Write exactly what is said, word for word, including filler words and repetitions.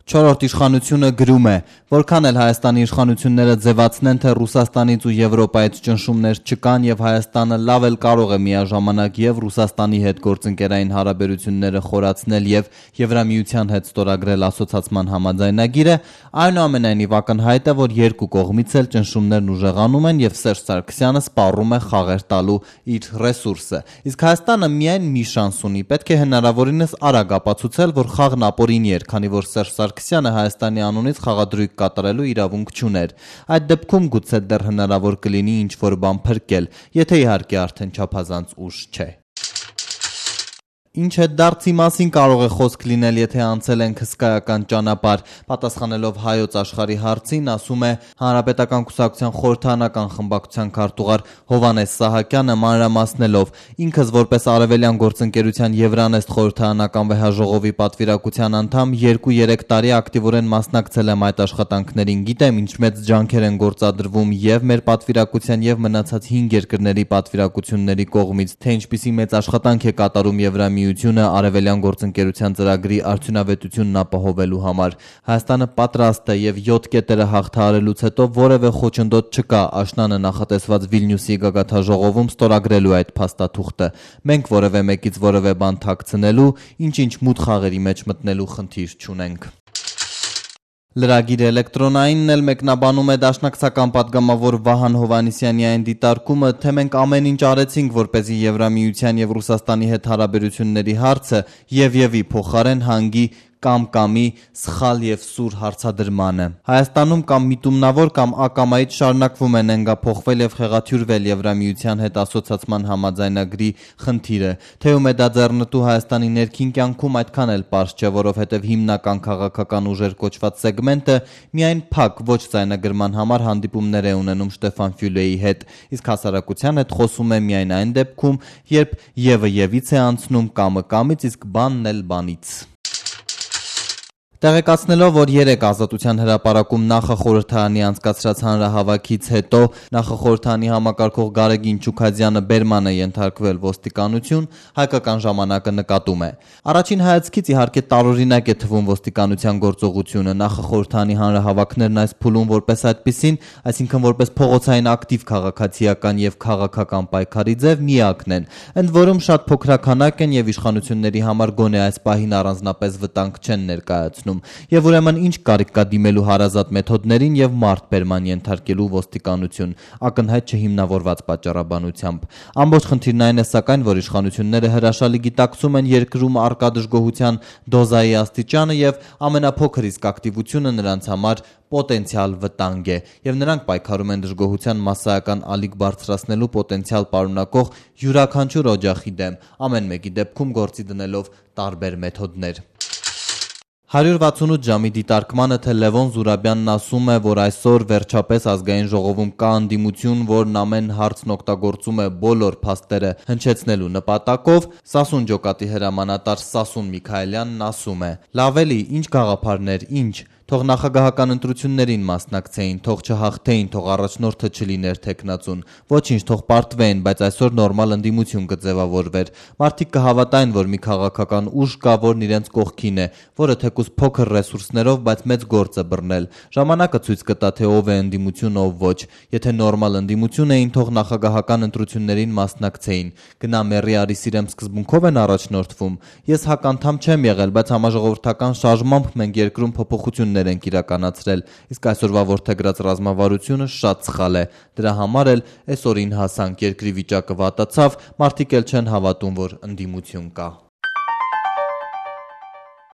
Չորրորդ իշխանությունը գրում է, որքան էլ Հայաստանի իշխանությունները ձևացնեն, թե Ռուսաստանից ու Եվրոպայից ճնշումներ չկան եւ Հայաստանը լավ էլ կարող է միաժամանակ եւ Ռուսաստանի հետ գործընկերային հարաբերությունները խորացնել եւ Եվրամիության հետ ստորագրել ասոցացման համաձայնագիրը, այնուամենայնիվ ակնհայտ է, որ երկու կողմից էլ ճնշումներն ուժեղանում են եւ Սերժ Սարգսյանը սպառում է խաղեր տալու իր ռեսուրսը։ Իսկ Հայաստանը միայն մի շանս ունի, պետք է հնարավորինս արագ ապացուցել, որ խաղն ապօրինի էր, քանի որ Սերժ Սարգսյանը Հայաստանի անունից խաղադրույք կատարելու իրավունք չուներ։ Այդ դեպքում գուցե դեռ հնարավոր կլինի ինչ-որ բան փրկել, եթե իհարկե արդեն չափազանց ուշ չէ։ Ինչ է դարձի մասին կարող է խոսք լինել, եթե անցել ենք հսկայական ճանապարհ, պատասխանելով Հայոց աշխարհի հարցին, ասում է Հանրապետական կուսակցության խորհրդարանական խմբակցության քարտուղար Հովհաննես Սահակյանը մանրամասնելով. ինքս որպես Արևելյան գործընկերության Եվրանեստ խորհրդարանական վեհաժողովի պատվիրակության անդամ երկու-երեք տարի ակտիվորեն մասնակցել եմ այդ աշխատանքներին, գիտեմ ինչ մեծ ջանքեր են գործադրվում եւ մեր պատվիրակության եւ մնացած հինգ երկրների պատվիրակությունների կողմից, թե ինչպիսի մեծ աշխատանք է կատարում Եվրամիությունը Արևելյան գործընկերության ծրագրի արդյունավետությունն ապահովելու համար։ Հայաստանը պատրաստ է եւ յոթ կետերը հաղթահարելուց հետո որևէ խոչընդոտ չկա աշնանը նախատեսված Վիլնյուսի գագաթնաժողովում ստորագրելու այդ փաստաթուղթը։ Մենք որևէ մեկից որևէ բան թաքցնելու, ինչ-ինչ մութ խաղերի մեջ մտնելու խնդիր չունենք։ Լրագիր էլեկտրոնայինն էլ մեկնաբանում է դաշնակցական պատգամավոր Վահան Հովհաննիսյանի այն դիտարկումը, թե մենք ամեն ինչ արեցինք, որպեսզի Եվրամիության եւ Ռուսաստանի հետ հարաբերությունների հարցը եւ-եւի փոխարեն հանգի կամ-կամի սխալ եւ սուր հարցադրմանը։ Հայաստանում կամ միտումնավոր կամ ակամայից շարունակվում է նենգափոխվել եւ խեղաթյուրվել Եվրամիության հետ ասոցացման համաձայնագրի խնդիրը։ Թեում է դա ձեռնտու Հայաստանի ներքին կյանքում այդքան էլ պարզ չէ, որովհետեւ հիմնական քաղաքական ուժեր կոչված սեգմենտը միայն փակ ոչ ձայնագրման համար հանդիպումներ է ունենում Շտեֆան Ֆյուլեի հետ, իսկ հասարակության հետ խոսում է միայն այն դեպքում, երբ եւը եւից է անցնում կամը կամից, իսկ բանն էլ բանից։ Տեղեկացնելով, որ երեք Ազատության հրապարակում նախախորհրդարանի անցկացրած հանրահավաքից հետո նախախորհրդարանի համակարգող Գարեգին Չուքադյանը բերման է ենթարկվել ոստիկանություն, հայկական ժամանակը նկատում է. Առաջին հայացքից իհարկե տարօրինակ է թվում ոստիկանության գործողությունը, նախախորհրդարանի հանրահավաքներն այս փուլում որպես այդպիսին, այսինքն որպես փողոցային ակտիվ քաղաքացիական եւ քաղաքական պայքարի ձև միակն են, ընդ որում շատ փոքրաքանակ են եւ իշխանությունների համար գոնե այս պահին առանձնապես վտանգ չեն ներկայացնում։ Եվ ուրեմն ինչ կարիք կա դիմելու հարազատ մեթոդներին եւ մարդ բերման ենթարկելու ոստիկանություն, ակնհայտ չհիմնավորված պատճառաբանությամբ։ Ամբողջ խնդիրն այն է սակայն, որ իշխանությունները հրաշալի գիտակցում են երկրում առկա դժգոհության դոզայի աստիճանը եւ ամենափոքր իսկ ակտիվությունը նրանց համար պոտենցիալ վտանգ է, եւ նրանք պայքարում են դժգոհության մասսայական ալիք բարձրացնելու պոտենցիալ պարունակող յուրաքանչյուր օջախի դեմ, ամեն մեկի դեպքում գործի դնելով տարբեր մեթոդներ։ հարյուր վաթսունութ ժամի դիտարկմանը, թե Լևոն Զուրաբյանն ասում է, որ այսօր վերջապես ազգային ժողովում կա անդիմություն, որն ամեն հարցն օգտագործում է բոլոր փաստերը հնչեցնելու նպատակով, Սասուն ջոկատի հրամանատար Սասուն Միքայելյանն ասում է. լավ էլի, ինչ գաղափարներ, ինչ Թող նախագահական ընտրություններին մասնակցեին, թող չհաղթեին, թող առաջնորդը չլիներ թեկնածուն, ոչինչ, թող պարտվեին, բայց այսօր նորմալ ընդդիմություն կձևավորվեր։ Մարդիկ կհավատային, որ մի քաղաքական ուժ կա, որն իրենց կողքին է, որը թեկուզ փոքր ռեսուրսներով, բայց մեծ գործ է բռնել։ Ժամանակը ցույց կտա, թե ով է ընդդիմություն, ով ոչ։ Եթե նորմալ ընդդիմություն էին, թող նախագահական ընտրություններին մասնակցեին։ Գնա մեռի արի սիրեմ սկզբունքով են առաջնորդվում։ Ես հականդամ չեմ եղել, բայց համաժողովրդական շարժմամբ մենք երկրում փոփոխություն ենք իրականացրել, իսկ այսօրվա որդեգրած ռազմավարությունը շատ սխալ է։ Դրա համար էլ այսօրին հասանք, երկրի վիճակը վատացավ, մարդիկ էլ չեն հավատում, որ ընդդիմություն կա։